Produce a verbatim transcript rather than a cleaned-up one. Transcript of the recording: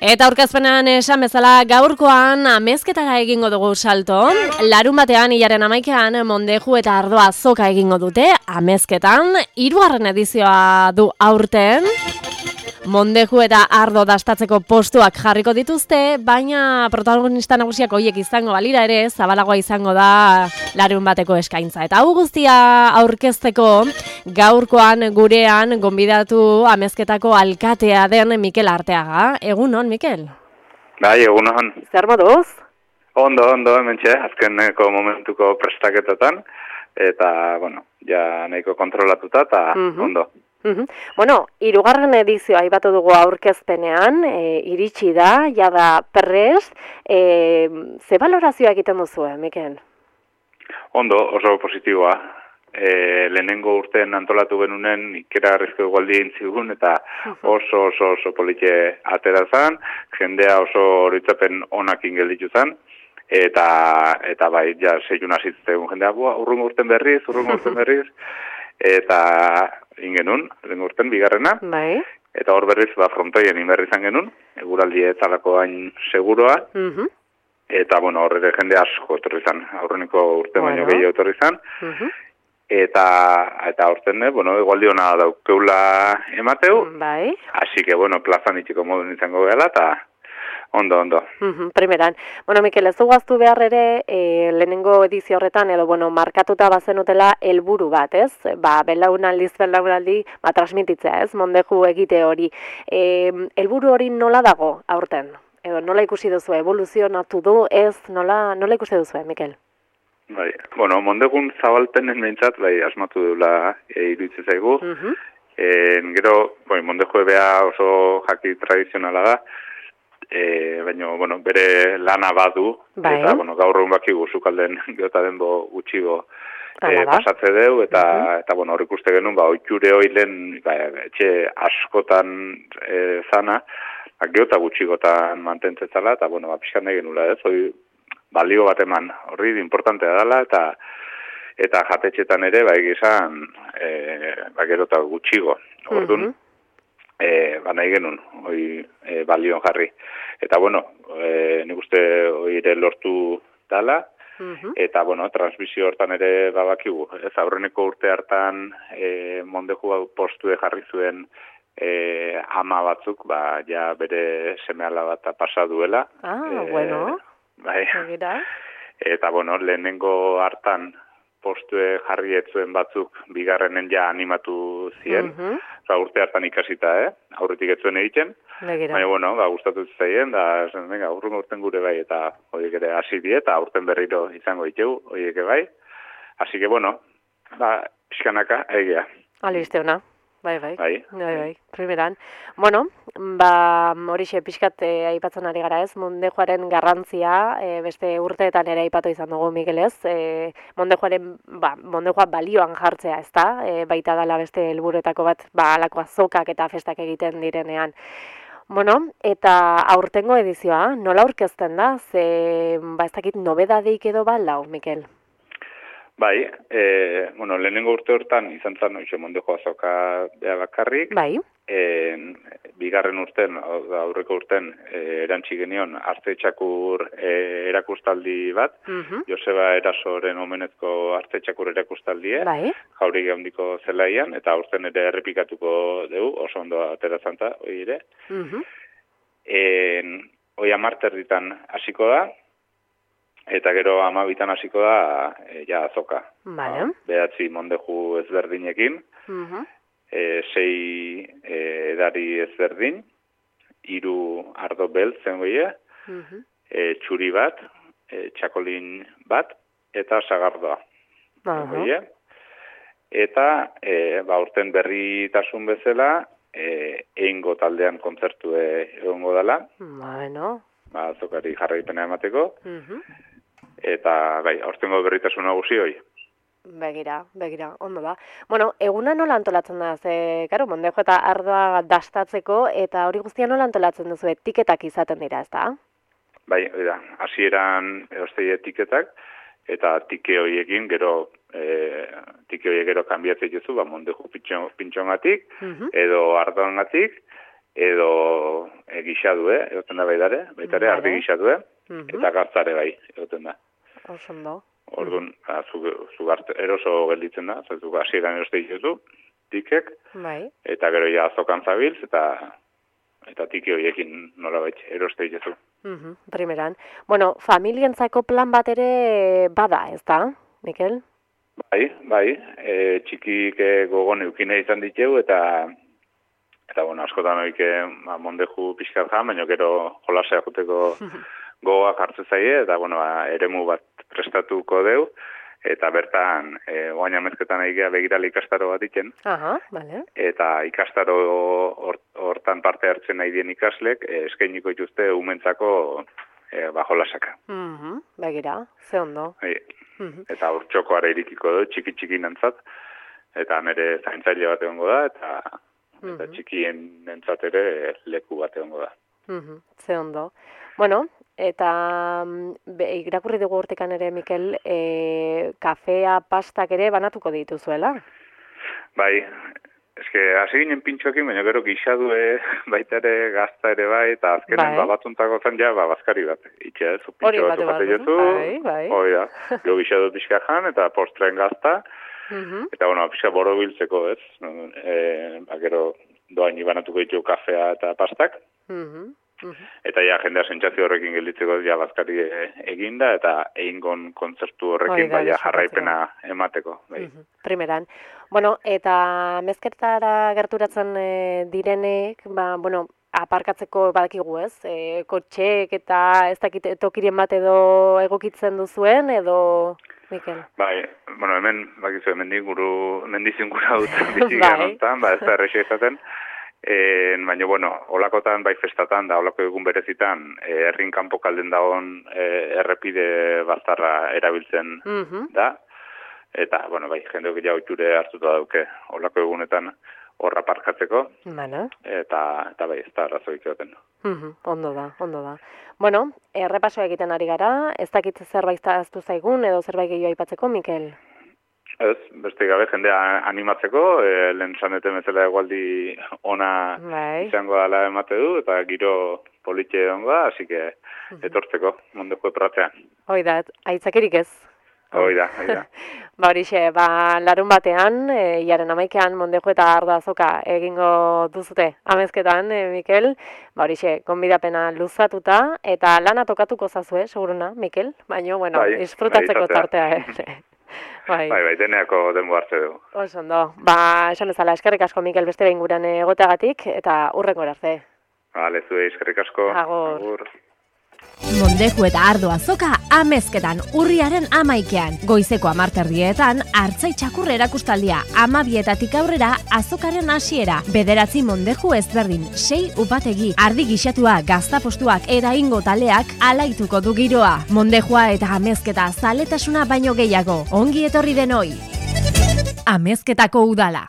Eta aurkezpenean esan bezala gaurkoan amezketara egingo dugu salto. Larun batean, hilaren amaikean, Mondeju eta Ardoa azoka egingo dute amezketan. Hirugarren edizioa du aurten. Mondeju eta Ardo dastatzeko postuak jarriko dituzte, baina protagonista nagusiak horiek izango balira ere, zabalagoa izango da larun bateko eskaintza. Eta hau guztia aurkezteko gaurkoan gurean gonbidatu amezketako alkatea den Mikel Arteaga. Egunon, Mikel? Bai, egunon. Zer moduz? Ondo, ondo, hementxe, azkeneko momentuko prestaketatan, eta, bueno, ja nahiko kontrolatuta, eta Mhm. ondo. Mhm. Bueno, hirugarren edizioa aipatu dugu aurkezpenean, e, iritsi da, jada prest, e, ze balorazioa egiten duzu, eh, Mikel? Ondo, oso positiboa. E, lehenengo urtean antolatu genunen ikeragarrizko egualdi egin zigun, eta oso, oso, oso politxe atera zan, jendea oso horitzapen onakin gelditu zan, eta, eta bai, ja, seiun azitzen jendea, bua, urrungo urten berriz, urrungo urten berriz, eta ingenun, lehenengo urten, bigarrena, Bai. eta hor berriz, ba, frontoien inberri izan genuen, eguraldi etzalako hain seguroa, Mhm. eta, bueno, horre jende asko etorri zan, aurreneko urte baino Bueno. gehiago etorri zan, Mhm. eta, eta horten, bueno, egualdi hona daukeula emateu, Bai. así que, bueno, plazan itxiko modun izango gela, eta ondo, ondo. Mhm, primeran. Bueno, Mikel, ez dugu behar ere, e, lehenengo edizio horretan, edo, bueno, markatuta bazenutela helburu bat, ez? Ba, belaunaldiz, belaunaldi, ba, transmititzea, ez? Mondeju egite hori. E, helburu hori nola dago aurten? Edo, nola ikusi duzu, evoluzionatu du, ez? Nola, nola ikusi duzu, Mikel? Bai, bueno, mondegun zabalpenen behintzat, bai, asmatu dula e, iruditzen zaigu. Mhm. En, gero, bai, mondeju ebea oso jaki tradizionala da, e, baina, bueno, bere lana badu, Bai. eta, bueno, gaur egun bakigu zukalden geota denbo gutxigo Hala e, da. pasatze deu, eta, eta, bueno, hor ikuste genuen, ba, oiture hoilen, ba, etxe askotan e, zana, ba, geota gutxigotan mantentzetzala, eta, bueno, ba, pixkan nahi genula, ez, hoi, balio bat eman, horri importantea dela, eta eta jatetxetan ere, ba, egizan, e, ba, gero eta gutxigo. Orduan, Mhm. e, ba, nahi genuen, hoi e, balion jarri. Eta, bueno, e, nik uste hoi ere lortu dala, Mhm. eta, bueno, transmisio hortan ere babakigu. Ez aurreneko urte hartan e, Mondeju postue jarri zuen e, ama batzuk, ba, ja bere seme-ala bat pasa duela. Ah, E, bueno. Bai. Begira. Eta, bueno, lehenengo hartan postue jarri etzuen batzuk bigarrenen ja animatu zien. Mhm. Osa, urte hartan ikasita, eh? Aurretik etzuen egiten. Begira. Baina, bueno, ba, gustatu zaien, da, esan, venga, urrungo urten gure bai, eta horiek ere hasi die, eta urten berriro izango ditugu, horiek bai. Así que, bueno, ba, pixkanaka, egia. Albiste ona. Bai, bai. Bai. Bai, bai. Primeran. Bueno, ba, horixe pixkat e, aipatzen ari gara ez, Mondejuaren garrantzia, e, beste urteetan ere aipatu izan dugu, Mikel, ez? E, Mondejuaren, ba, Mondejua balioan jartzea, ez da? E, baita dala beste helburuetako bat, ba, alako azokak eta festak egiten direnean. Bueno, eta aurtengo edizioa, nola aurkezten da? Ze, ba, ez dakit, nobedadeik edo balau, Mikel? Bai, e, bueno, lehenengo urte hortan izan zan, oixe, Mondejo azoka beha bakarrik, Bai. en, bigarren urten, hau da, aurreko urten, e, erantzi genion, arte txakur e, erakustaldi bat, Mhm. Joseba Erasoren omenezko arte txakur erakustaldie, Bai. jauregi handiko zelaian, eta urten ere errepikatuko dugu, oso ondo atera zanta, hoi ere. Mhm. En, hoi amarter ditan hasiko da, eta gero amabitan hasiko da, e, ja, azoka. Vale. Ba, behatzi Mondeju ezberdinekin, Mhm. e, sei e, edari ezberdin, hiru ardo beltzen goie, Mhm. e, txuri bat, e, txakolin bat, eta sagardoa. Aha. Goie. Eta, e, ba, urten berritasun bezala, e, eingo taldean kontzertu egongo dela, Bueno. ba, azokari jarraipena emateko, Mhm. eta, bai, aurtengo berritasun nagusi hoi. Begira, begira, ondo da. Bueno, eguna nola antolatzen da, ze, karo, Mondejo eta Ardoa dastatzeko, eta hori guztia nola antolatzen duzu, etiketak izaten dira, ez da? Bai, hori da, hasieran eostei etiketak, eta tike horiekin gero, e, tike horiek gero kanbiatzen duzu, ba, Mondeju pintxongatik, Mhm. edo Ardoangatik, edo e, gixadue, egoten da baitare, baitare Vale. ardi gixadue, Mhm. eta gaztare bai, egoten da. Oso ondo. Orduan, ba, zu, zu gart, eroso gelditzen da, zaitu hasieran eroste dituzu, tikek, Bai. eta gero ja azokan zabiltz, eta eta tiki horiekin nolabait eroste dituzu. Mhm, primeran. Bueno, familientzako plan bat ere bada, ez da, Mikel? Bai, bai, e, txikik e, gogon eukine izan diteu, eta eta bueno, askotan oike ba, mondeju pixkat jan, baina gero jolasea juteko gogoak hartze zaie, eta bueno, ba, eremu bat prestatuko deu, eta bertan, e, oain amezketan egia begirale ikastaro bat iken, Aha, bale. eta ikastaro hor- hortan parte hartzen nahi dien ikaslek, e, eskainiko dituzte umentzako e, ba, jolasaka. Mhm, begira, ze ondo. Bai. Mhm. Eta hor txokoara irikiko du, txiki-txiki nantzat, eta nire zaintzaile bat egongo da, eta, eta Mhm. txikien nentzat ere leku bat egongo da. Mhm, ze ondo. Bueno, eta mm, be, irakurri dugu hortikan ere, Mikel, e, kafea, pastak ere banatuko dituzuela. Bai, eske hasi ginen pintxoekin, baina gero gixadue baita ere gazta ere bai, eta azkenen Bai. ba, batzuntako zen ja, ba, bazkari bat. Itxe, ez, Hori pintxo batu bat behar duzu, jozu, bai, bai. hori da, gero gixadu pixka jan, eta postren gazta, Mhm. eta bueno, pixka boro biltzeko, ez, e, ba, gero doain ibanatuko ditu kafea eta pastak, Mhm. Mhm. eta ja jendea sentsazio horrekin gelditzeko ja bazkari e, eginda, eta egingon kontzertu Hori horrekin da, baia disfrutatzeko. jarraipena emateko. Bai. Mhm, primeran. Bueno, eta mezketara gerturatzen e, direnek, ba, bueno, aparkatzeko badakigu ez, e, kotxeek eta ez dakit tokiren bat edo egokitzen duzuen, edo, Mikel? Bai, bueno, hemen, bakizu, hemen diguru, mendizin gura dut bizigan Bai. honetan, ba, ez da errexea izaten, e, baina, bueno, olakotan, bai festatan, da olako egun berezitan, e, herrin kanpo kalden dagoen e, errepide baztarra erabiltzen Mhm. da, eta, bueno, bai, jendeok ja oiture hartuta dauke olako egunetan horra parkatzeko, Bueno. eta, eta bai, ez da arrazoik egoten. Mhm, ondo da, ondo da. Bueno, errepasoa egiten ari gara, ez dakit zerbait ahaztu zaigun edo zerbait gehiago aipatzeko, Mikel? Ez, beste gabe jendea animatzeko, e, lehen saneten bezala egualdi ona Bai. izango dela emate du, eta giro politxe egongo da, hasi que etortzeko, mondeko epratzean. Hoi da, aitzakerik ez. Hoi da, hoi da. Ba horixe, ba larun batean, e, iaren amaikean Mondejo eta Ardo Azoka egingo duzute amezketan, e, Mikel. Ba horixe, konbidapena luzatuta, eta lana tokatuko zazue, seguruna, Mikel. Baina, bueno, Bai, disfrutatzeko bai, tartea ere. Bai. Bai, bai, deneako denbo hartze du. Oso ondo. Ba, esan ezala, eskerrik asko, Mikel, beste behin guran egoteagatik, eta hurrengo arte. Bale, zuei, eskerrik asko. Agur. Agur. Mondeju eta Ardo Azoka amezketan urriaren amaikean. Goizeko amarterdietan, hartzai txakur erakustaldia, amabietatik aurrera azokaren hasiera. Bederatzi mondeju ezberdin, sei upategi, ardi gixatua, gaztapostuak eta ingo taleak alaituko du giroa. Mondejua eta amezketa zaletasuna baino gehiago. Ongi etorri denoi. Amezketako udala.